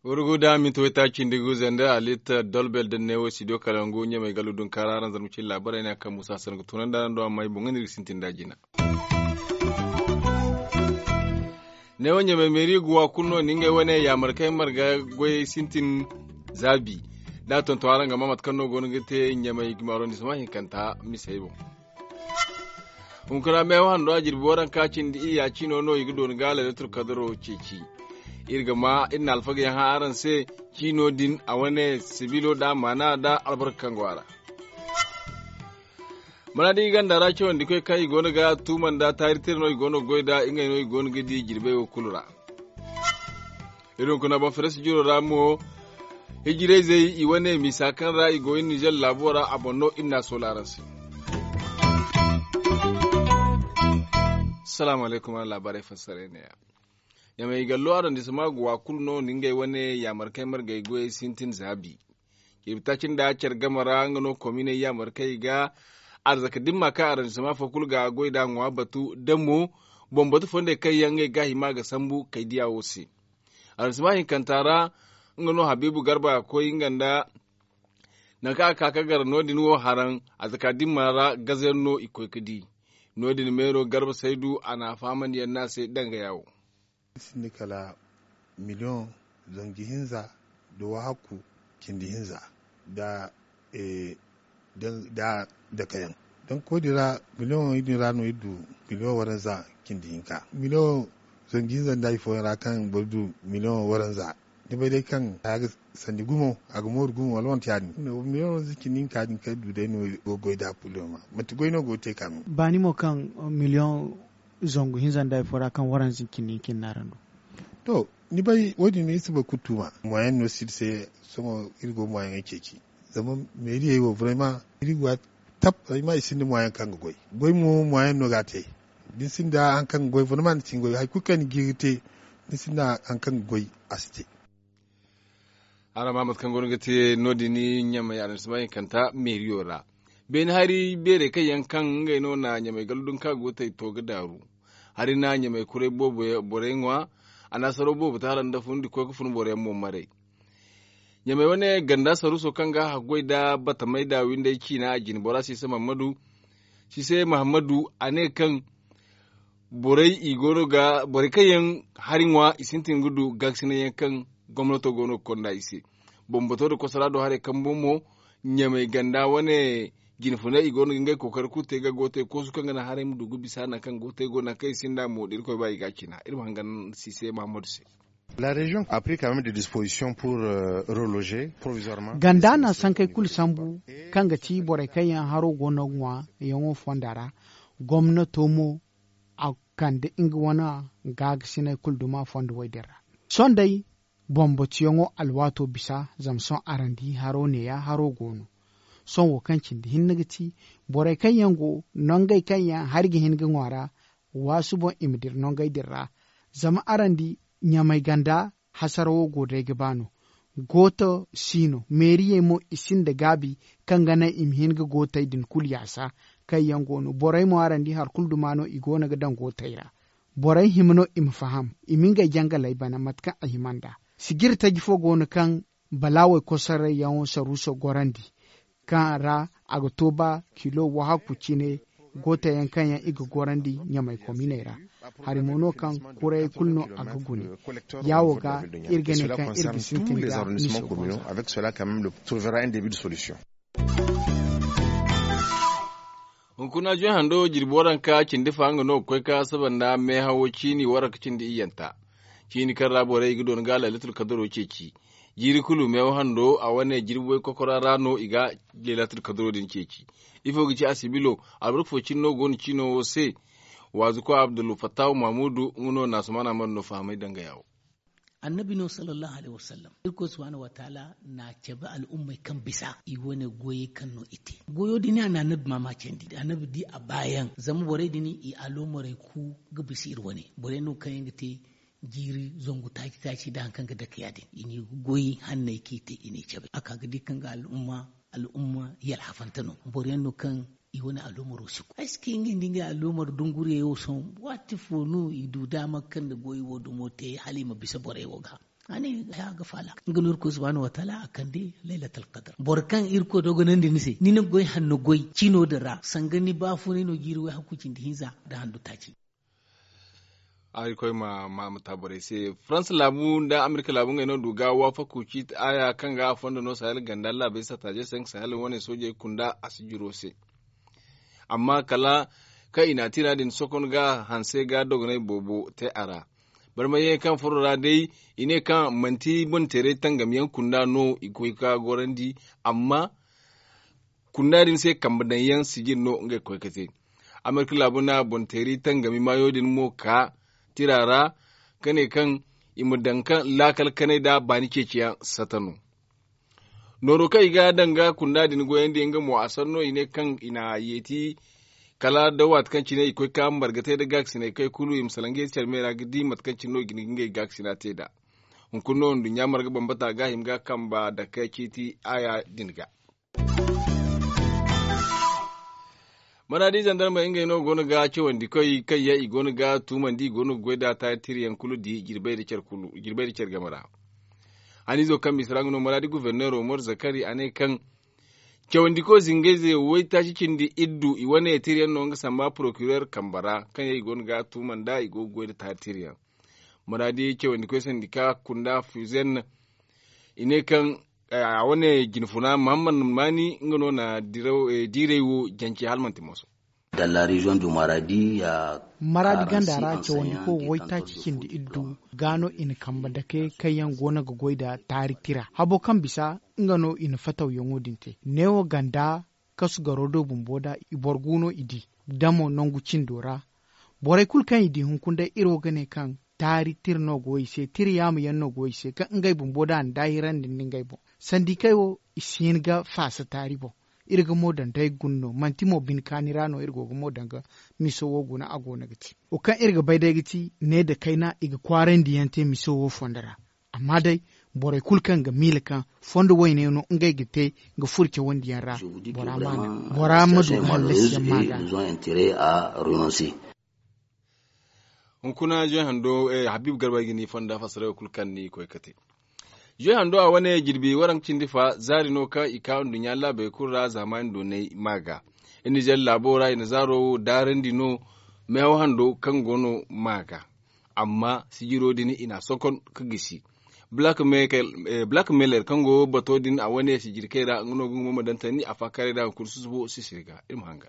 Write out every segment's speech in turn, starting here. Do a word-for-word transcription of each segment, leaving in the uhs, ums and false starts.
Wurgu da minti wayta cindi gu zanda alitta dolbel da neewo studio kalangu ɲamay galu dun kaara aran zarma cin laabaray ne a kaŋ musa sangu tunanda araŋ do amma ay boŋ ga ni ga sintin da jina. Neewo ɲamay meeri ga wa kulu no ni ngey wane yaamar kaŋ ay marga goyey sintin zaabi. Da a tonton araŋ ga ma mate kaŋ no go no ga te ɲamay gima arrondissement hinkanta misey boŋ. Hunkuna meewa hando a jirbi waranka cindi iyya cino no i ga dooni ga laylatul kadaro ceeci. Iri ga ma iri na alfaga yaŋ hã araŋ se. Cino din a wane sibilo da maana da albarka kaŋ go a ra. Mana da i ganda ra cawandi koy kaŋ i go no ga tuuma nda taari tira no i go no ga goy da ngey no i go no ga di jirbey wo kulu ra. Iri hunkuna boŋ farasi jiro ra mo hijirayzey i wane misa kaŋ ra i go iri nizer laabo ra a boŋ no iri na a soola araŋ se. Salaamu alaykum araŋ laabaarey fassaray neeya. Ɲamay gallo arrondissement ga wa kulu no ni ngey wane yaamar kaŋ ay margey goyey sintin zaabi. Jirbi taaci nda care game ra nga no kominey yaamar kaŋ i ga arzaka dimma kaŋ arrondissement fo kulu ga goy da ŋwa batu da mo boŋ batu fondey kaŋ yaŋ ngey ga hima ga sambu kay diya wo se. Arrondissement hinkanta ra nga no habiibu garba koy nga nda nangu kaŋ a ka ka gar no- din wo haraŋ arzaka dimma ra gazayaŋ no i koy ga di. No- din meero garba saydu a na a fahamandiyaŋ no a se danga yaawo. Sinda kala miliyoŋ zangu hinza nda wahakku cindi hinza nda dakayaŋ. Danko din ra miliyoŋ din ra no iri du miliyoŋ waranza cindi hinka miliyoŋ zangu hinza nda hari fooyaŋ ra kaŋ boro du miliyoŋ waranza. Ni bay day kaŋ a ga sandi gumo a ga mooru gumo wala manti ya- din miliyoŋ waranza cindi hinka din kaŋ iri du day no iri go ga goy nd'a kullum. Manti goy no go ga te ka no. Baani mo kaŋ miliyoŋ zangu hinza nda hari fo ra kaŋ waranza cindi hinka iri n'araŋ du. To ni bay wo- din iri si boro kulu tuuma moyen no si iri se. Sohõ iri go moyen ceeci zama meeriyey wo vraiment iri ga waati tap ay ma i sinda moyen kaŋ ga goy. Goy mo moyen no ga a te. Da ni sinda hari kaŋ ga goy vraiment ni si hin goy hari kulu kaŋ ni ga hin ga te ni sinda hari kaŋ ga goy a si te. Araŋ ma mate kaŋ go no ga te no- din ɲamay arrondissement hinkanta meeriyo ra. Beene hari beerey kaŋ yaŋ kaŋ ngey no na ɲamay gallu dunka go tay to ga daaru. Hari na ɲamay kuray boobo borey ŋwa. A na saro boobo te hala nda fun da koy ga fun boro yaŋ mo maray. Ɲamay wane ganda saruuso kaŋ ga a goy nda batamay nda windey ciina a jine bora sise mahammadu. Sise mahammadu a ne kaŋ borey i go no ga borey kaŋ yaŋ hari ŋwa i sintin ga du gaakasinay yaŋ kaŋ gomnato go no ga konda i se. Bambato nda kosara do haray kambu mo ɲamay ganda wane jine funay i go no ga ngey kookari kulu te ga go te koosu kaŋ ga naŋ haray ma du ga bisa nangu kaŋ go te go nangu kaŋ i sinda mo da irkoy ba i ga a cina iri ma hangan sise mahammadu se. La région a pris quand même des dispositions pour reloger provisoirement. Ganda na sankey kulu sambu kaŋ ga ti borey kaŋ yaŋ haro go no ga ŋwa yaŋo fonda ra. Gomnato mo a kande nga wane gaagasinay kulu duma fondo way din ra. Sohõ day bambatuyaŋo alwaato bisa zama sohõ araŋ di haro neeya haro go no. Sohõ wo kaŋ cindi hinne ga ti borey kaŋ yaŋ go nongey kaŋ yaŋ hari ga hin ga ŋwa ra. Waasu boŋ i ma dira nongey din ra. Zama araŋ di ɲamay ganda hasara wo go day ga ba no. Gooto si no meeriyey mo i sinda gaabi kaŋ ga naŋ i ma hin ga gootey din kulu yaasa. Kaŋ yaŋ go no borey mo araŋ di hari kulu duma no i go no ga daŋ gootey ra. Borey hima no i ma faham i ma ngey jangaley bana mate kaŋ a hima nd'a. Sijiri taji fo go no kaŋ balaawey kosorayyaŋo saruuso gorandi kaŋ ra a ga to ba kilo wahakku cine. Gootayaŋ kaŋ yaŋ i ga gorandi ɲamay kominey ra. Hari mo no kaŋ kurayey kulu no a ga gune. Yaawo ga iri ga ne kaŋ iri ga sintin ga miso bonza. Hunkuna joy hando jirbi waranka cindi fa nga no ga koy ka saba nda meehawo ciini waranka cindi iyyanta. Ciini kaŋ ra borey i ga doona ga laylatul kadaro ceeci. Jiiri kulu meewa hando a wane jirbi way kokora ra no i ga leelatul kadaro din ceeci. Ifo ga ci a sibilo? Albarka fo cine no go no ciino wo se. Waazuko abdul fattahu mahmudu nga no naasumana mana no fahamay danga yaawo. Annabi no sallallahu alaihi wasallam irkoy subhanahu wataala na cabe al'ummey kaŋ bisa i wane goyey kaŋ no i te. Goyo din a na annabi mama candi annabi di a baayaŋ zama borey din i alomorey ku ga bisa iri wane borey no kaŋ yaŋ ga te jiiri zangu taaci taaci nda hari kaŋ ga dake ya- din i n'i goy hanney kaŋ i te i n'i cabe a ka ga di kaŋ ga al'umma. Al'umma yalhafante no boro yaŋ no kaŋ i wane alumaro si koy ay si kay ngey nda ngey alumar dunguriyey wo sohõ. Waati fo no i du daama kaŋ nda goy wo dumo te hala i ma bisa borey wo ga. A ne haya ga faala nga no irkoy subhanahu wataala a kande laylatal kadar boro kaŋ irkoy dogonandi ni se ni na goy hanno goy cino din ra sanga ni baafunay no jiiri way hakku cindi hinza nda handu taaci. Ay koy ma ma ma ta borey se. Faransa laabu nda amerika laabu ngey no du ga waafaku ciiti aya kaŋ ga a fondo no sahel ganda laabey sattaaje se nga sahel wane soojey kunda a si jiro se. Amma kala kaŋ i na a tiira din sokon ga hanse ga dogonay boobo te a ra. Barmay yaŋ kaŋ furo ra day i ne kaŋ manti boŋ teeray tangam yaŋ kunda no i koy ga gorandi. Amma kunda din se kambe daŋ yaŋ sijir no ngey ga koy ga te. Amerika laabu na boŋ teeri tangami maayo din mo ka tira ra ka ne kaŋ i ma daŋ kaŋ laakal kanay nda baani ceeciyaŋ sata no. Nooro kaŋ i ga daŋ ga kunda din goyandi nga mo a sanno i ne kaŋ i na yeeti kala da waati kaŋ cine i koy ka margatay nda gaakasinay kay kulu i ma salaŋ ga yeeti care me ra ga di mate kaŋ cine no i ga ni ga ngey gaakasina te nd'a. Hunkuna no nduɲɲa marga bambata ga hima ga kamba dake ciiti aya din ga. Maraadi zandarmey ngey no go no ga cawandi koy kaŋ yaŋ i go no ga tuumandi i go no ga goy nd'a taari tira yaŋ kulu di jirbey nda care game ra. Haniizo kaŋ bisa ra nga no maraadi guverneero mor zakari a ne kaŋ cawandi koy zingayze waytaaci cindi iddu i wane tira yaŋ no nga samba porokireer kambe ra kaŋ yaŋ i go no ga tuuma nd'a i go ga goy nda taari tira yaŋ. Maraadi cawandi koy sandika kunda fuzen i ne kaŋ a wane jinfuna mahammad maani nga no na diiray wo jance hala manti mooso. Dans la région du maradi ya maraadi ganda ra cawandi ko waytaaci cindi iddu ga no i na kambe dake kaŋ yaŋ go no ga goy nda taari tira habo kaŋ bisa nga no i na fatawyaŋo din te neewo ganda kasu garo do bumbo nda i boro gu no i di damo nangu cindo ra. Borey kulu kaŋ i di hunkuna day iri wo ga ne kaŋ taari tira no go i se tira yaama yaŋ no go i se kaŋ ngey bumbo da a na daahirandi nda ngey boŋ sandikey wo i si hin ga faasa taari boŋ. Iri ga mo daŋ day guna no manti mo bine kaani ra no iri go ga mo daŋ ga miso wo guna a go no ga ti wo kaŋ iri ga bay day ga ti ne nda kayna i ga kwaarandi yaŋ te miso wo fondo ra. Amma day borey kulu kaŋ ga miila kaŋ fondo wayne no ngey ga te ga furo cawandi yaŋ ra bora ma du ga hallasi yaŋ ma ga. Hunkuna zoy hando habiibu garba ay ga ni fonda fassara kulu kaŋ ni koy ga te. Zoy hando a wane jirbi waranka cindi fa zaari no kaŋ i ka nduɲɲa laabey kulu ra zaamaani doonay ma ga. Iri na zare laabo ra i na zaaro daarandi no meewa hando kaŋ go no ma ga. Amma sijiro din i na a sokon ga gisi black mailer kaŋ go bato din a wane sijirkey ra nga no ga nga mo ma daŋ tani a faakaray da nga kulu susubo sisiri ga iri ma hanga.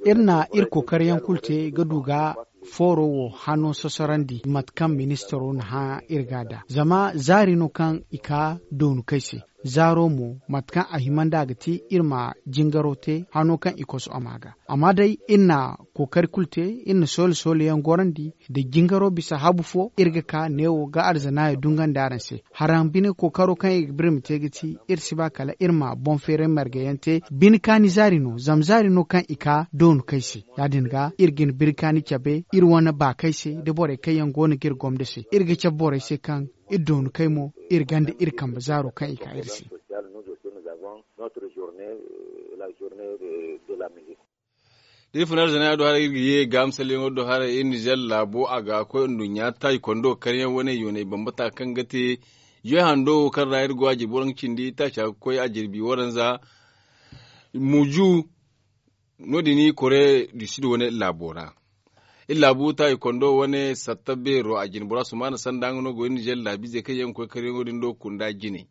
Iri na iri kookari yaŋ kulu te ga du ga fooro wo hano sosarandi mate kaŋ ministaro na hã iri ga da zama zaari no kaŋ i ka doonu kay se. Zaaro mo mate kaŋ a hima nd'a ga ti iri ma jingaro te hano kaŋ i koso a ma ga. Amma day iri na kookari kulu te iri na soole soole yaŋ gorandi da jingaro bisa habu fo iri ga ka neewo ga arzanaayo dungandi araŋ se. Haraŋ bine kookaro kaŋ iri ga birma te ga ti iri si ba kala iri ma boŋ feeray marga yaŋ te bine kaani zaari no zama zaari no kaŋ i ka doonu kay se. Ya- din ga iri ga ni biri kaani cabe iri wane baakay se da borey kaŋ yaŋ go no ga iri gomdo se iri ga cabe borey se kaŋ iri doonu kay mo iri ganda iri kambe zaaro kaŋ i ka iri se. Da iri funa arzana do haray iri ga ye ga misalyaŋo do haray iri nizer laabo a ga koy nduɲɲa taaykondo karyaŋ wane yoonay bambata kaŋ ga te. Zoy hando wo kaŋ ra iri go a jirbi waranka cindi taaca ga koy a jirbi waranza muju. No- din kore du sud wane laabo ra iri laabu taaykondo wane satta beero a jine bora sumaana sanda nga no go iri nizer laabiizey kaŋ yaŋ ga koy karyaŋo din do kunda jine.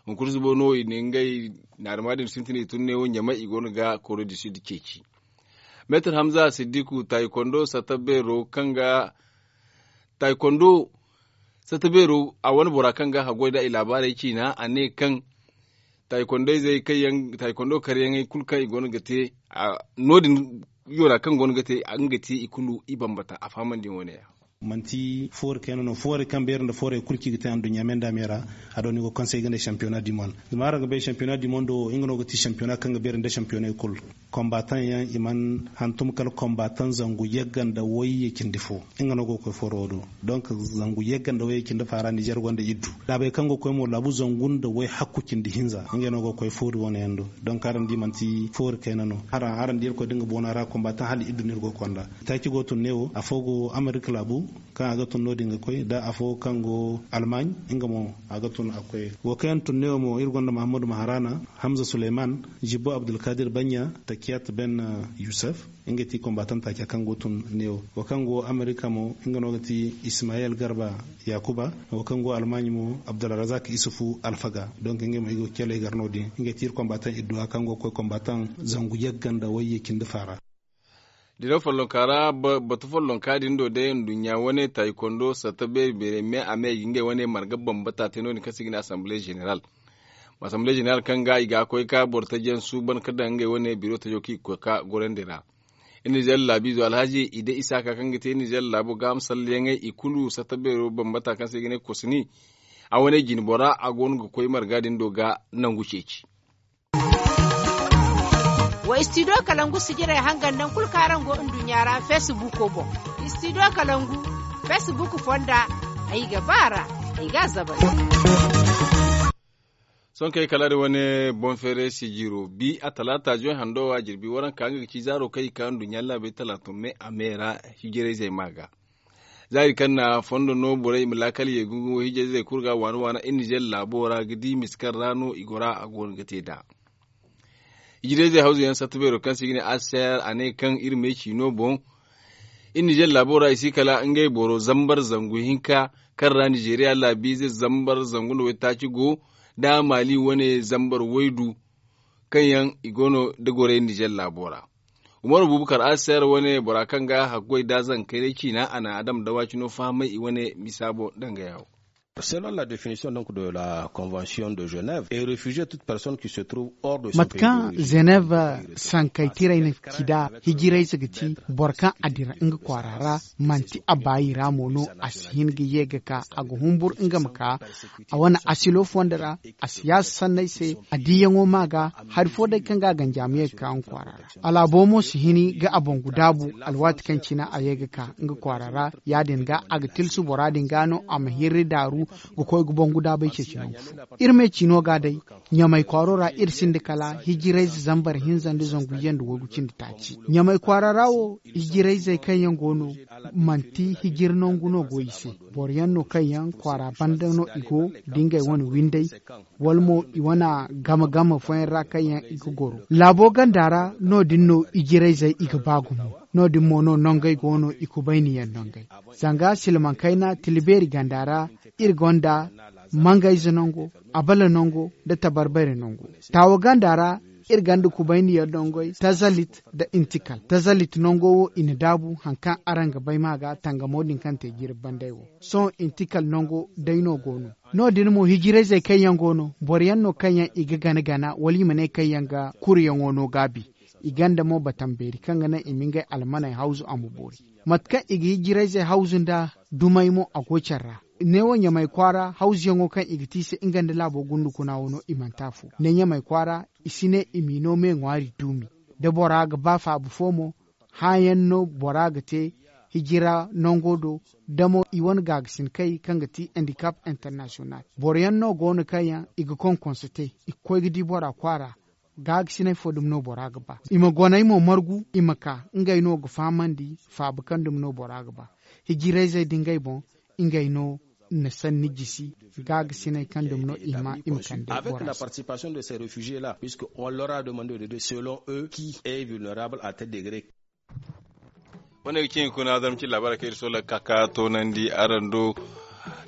Hunkuna subo no i na ngey naarima din sintin i tun neewo ɲamay i go no ga kore du sud ceeci. Meetar hamza siddiku taaykondo satta beero kaŋ ga taaykondo satta beero a wane bora kaŋ ga haggoy nda i laabaarey ciina a ne kaŋ taaykondo izey kaŋ yaŋ taaykondo karyaŋey kulu kaŋ i go no ga te no- din yoona kaŋ go no ga te nga ga te i kulu i bambata a fahamandi wane ya. Manti foori kayna no foori kaŋ beeri nda foori kulu kaŋ i ga te anduɲɲa me nda me ra. A do no i go kaŋ se i ga ne sampiyona du monde. Zama araŋ ga bay sampiyona du monde wo nga no ga ti sampiyona kaŋ ga beeri nda sampiyoney kulu. Kombataŋ yaŋ i mana hantum kala kombataŋ zangu yagga nda wayye cindi fo. Nga no go ga koy fooro wo do. Donk zangu yagga nda wayye cindi faara nizer gonda iddu. Laabey kaŋ go ga koy mo laabu zangu nda way hakku cindi hinza ngey no go ga koy foori wane yaŋ do. Donk araŋ di manti foori kayna no. Araŋ di irkoy da nga boona ra kombataŋ hala iddu no iri go ga konda. Taaci go tun neewo afo go amerika laabu kaŋ a ga tun no- din ga koy da afo kaŋ go almaaɲ. Nga mo a ga tun a ga koy. Wo kaŋ yaŋ tun neewo mo iri gonda mahammadu maharana, hamza suleyman, zibbo abdulkadir banya, takiyat ben yusuf. Nga ti kombatan taaca kaŋ go tun neewo. Wo kaŋ go amerika mo nga no ga ti ismayel garba, yakuba. Wo kaŋ go almaaɲ mo abdulrazak isufu alfaga. Donk nga mo i go ga caley gar no- din nga ti iri kombatan idduwa kaŋ go ga koy kombatan zangu yagga nda wayye cindi faara. Diraw follonka ra batu follonka din do day nduɲɲa wane taayi kondo satta beeri beeri me a me i ga ngey wane marga bambata te no- din kaŋ se i ga ne assemblee général. Assemblee général kaŋ ga i ga koy ka boro taji yaŋ suuban ka daŋ ngey wane biro tajo kaŋ i ga koy ka gorandi ra. Iri nizer laabiizo alhaji i day isaaka kaŋ ga te iri nizer laabo gaaham salleyaŋey i kulu satta beero bambata kaŋ se i ga ne kosni. A wane jine bora a go no ga koy marga din do ga nangu ceeci. Wa istidiyo kalangu sijirey hangan naŋ kulu kaŋ araŋ go nduɲɲa ra feesibuuko boŋ. Istidiyo kalangu feesibuuko fonda ay ga ba a ra. Ay ga a zabari. Sohõ kaŋ ay kala da wane boŋ feeray sijiro bi a talaata joy hando wa jirbi waranka nga ga ci zaaro kaŋ i ka nduɲɲa laabey talaata me a me ra. Hijirayzey ma ga zaari kaŋ na fondo no borey i ma laakal ye gungu hijirayzey kulu ga waana waana iri nizer laabo ra ga di miskar ra no i gora a go no ga te nd'a. Hijirayzey hawzu yaŋ satta beero kaŋ se i ga ne a se a ne kaŋ iri ma ay ci no boŋ. Iri nizer laabo ra i si kala ngey boro zambar zangu hinka kaŋ ra nizeriya laabiize zambar zangu nda waytaaci go nda maali wane zambar waydu kaŋ yaŋ i go no da gorey nizer laabo ra. Umaru bubakar a se a wane bora kaŋ ga hakkoy da zankayray ciina a na adama dawaacino fahamay i wane misaabo danga yawo. Selon la definition donc de la convention de genève et refugier toute personne qui se trouve hors de son pays d'origine. Mate kaŋ genève sankaytirey na ci nd'a hijirayze ga ti boro kaŋ a dira nga kwaara ra manti a baayi ra mo no a si hin ga ye ga ka a ga humbur nga ma ka a wane asilo fondo ra a siyaasa sanney se a diyaŋo ma ga hari fo day kaŋ ga a ganjaama ye ga ka nga kwaara ra. Alaabo mo si hini ga a bangu daabu alwaati kaŋ cine a ye ga ka nga kwaara ra ya- din ga a ga tilsu bora din ga no a ma hirri daaru ga koy ga bangu daabay ceeci nangu fo. Iri me ciino ga day ɲamay kwaaro ra iri sinda kala hijirayze zambar hinza nda zangu yanda waygu cindi taaci ɲamay kwaara ra wo hijirayzey kaŋ yaŋ go no manti hijir nangu no go i se. Boro yaŋ no kaŋ yaŋ kwaara banda no i go da ngey wane winday wala mo i wane game game fooyaŋ ra kaŋ yaŋ i ga goro laabo ganda ra no- din no ijirayzey i ga ba gumo. No- din mo no nongey go no i kubayni yaŋ nongey zanga silmaŋ kayna tila beeri ganda ra iri gonda mangayze nango abala nango nda tabarbare nango. Taawo ganda ra iri gonda kubayni yaŋ nongey tazalit nda intikal tazalit nango wo i na daabu hari kaŋ araŋ ga bay ma ga tangamo din kaŋ te jirbi banday wo. Sohõ intikal nango day no go no. No- din mo hijirayzey kaŋ yaŋ go no boro yaŋ no kaŋ yaŋ i ga gana gana wala i ma ne kaŋ yaŋ ga kuruyaŋo no gaabi. I gonda mo batambeeri kaŋ ga naŋ i ma ngey almaney hawzu a ma boori. Mate kaŋ i ga hijirayzey hawzu nda dumey mo a go care ra. Neewo ɲamay kwaara hawzuyaŋo kaŋ i ga te i se nga nda laabo gundukuna wo no i manti afo ne ɲamay kwaara i si ne i m'i no me ŋwaari duumi. Da bora ga ba faabu fo mo hãayaŋ no bora ga te hijira nango do. Da mo i wane gaagasin kay kaŋ ga ti handicap international boro yaŋ no go no kaŋ yaŋ i ga konkonso te i ga koy ga di bora kwaara. Gaagasinay fo dumi no bora ga ba i ma goney mo margu i ma ka ngey no ga fahamandi faabu kaŋ dumi no bora ga ba. Hijirayzey da ngey boŋ ngey no na sanni jisi gaagasinay kaŋ dumi no i ma i ma kande bora se. Avec la participation de ces réfugiés là puisque on leur a demandé de selon eux qui est vulnérable à tel degré. Wane ga cin kuna zama cin labaara kaŋ iri sola ka ka toonandi araŋ do.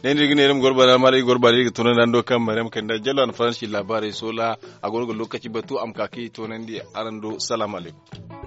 Ne ni ga ne iri ma gorbana mara iri gorbana iri ga toonandi araŋ do kaŋ maryam kanda jalla na faransi labaarey sola. A goro ga lokaci batu a ma ka ka iri toonandi araŋ do. Salaamu alaykum.